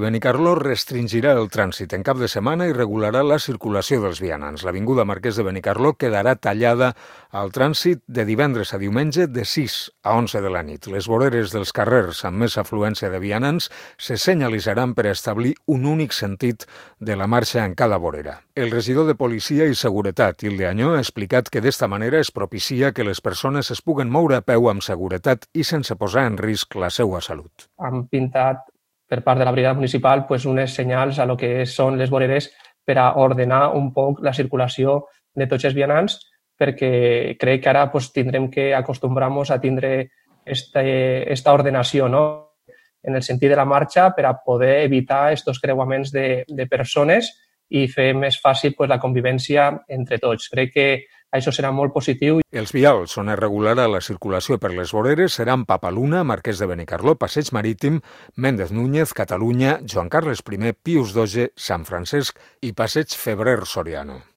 Benicarló restringirà el trànsit en cap de setmana i regularà la circulació dels vianants. L'avinguda Marquès de Benicarló quedarà tallada al trànsit de divendres a diumenge de 6 a 11 de la nit. Les voreres dels carrers amb més afluència de vianants se senyalitzaran per establir un únic sentit de la marxa en cada vorera. El regidor de Policia i Seguretat, Hilde Añó, ha explicat que d'esta manera es propicia que les persones es puguen moure a peu amb seguretat i sense posar en risc la seva salut. Han pintat per part de la brigada municipal unes senyals a lo que són les voreres per a ordenar un poc la circulació de tots els vianants, perquè crec que ara tindrem que acostumbrar-nos a tindre esta ordenació, no? En el sentit de la marxa per a poder evitar aquests creuaments de persones i fer més fàcil la convivència entre tots. Crec que això serà molt positiu. Els vials on es regularà la circulació per les voreres seran Papaluna, Marquès de Benicarló, Passeig Marítim, Méndez Núñez, Catalunya, Joan Carles I, Pius XII, Sant Francesc i Passeig Febrer Soriano.